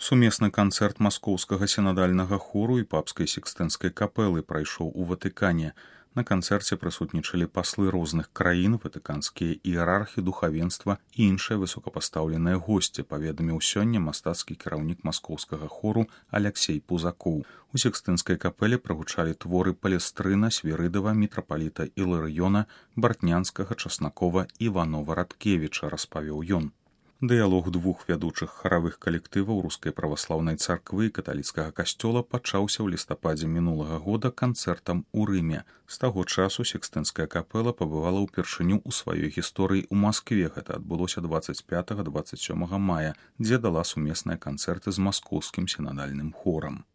Сумесны канцэрт маскоўскага сінадальнага хору і папскай сікстэнскай капэлы прайшоў у Ватыкане. На канцэрце прысутнічалі паслы розных краін, ватыканскія іерархі, духавенства і іншыя высокапастаўленыя госці, паведаміў сёння мастацкі кіраўнік маскоўскага хору Аляксей Пузакоў. У сікстэнскай капэле прагучалі творы Палестрына, Свірыдава, мітрапаліта Іларыёна, Бартнянскага, Часнакова і Іванова-Радкевіча, распавёў ён. Дыялог двух вядучых харавых калектываў рускай праваслаўнай царквы і каталіцкага касцёла пачаўся ў лістападзе мінулага года канцэртам у Рыме. З таго часу сікстэнская капэла пабывала ўпершыню ў сваёй гісторыі ў Маскве. Гэта адбылося 25-27 мая, дзе дала сумесныя канцэрты з маскоўскім сінадальным хорам.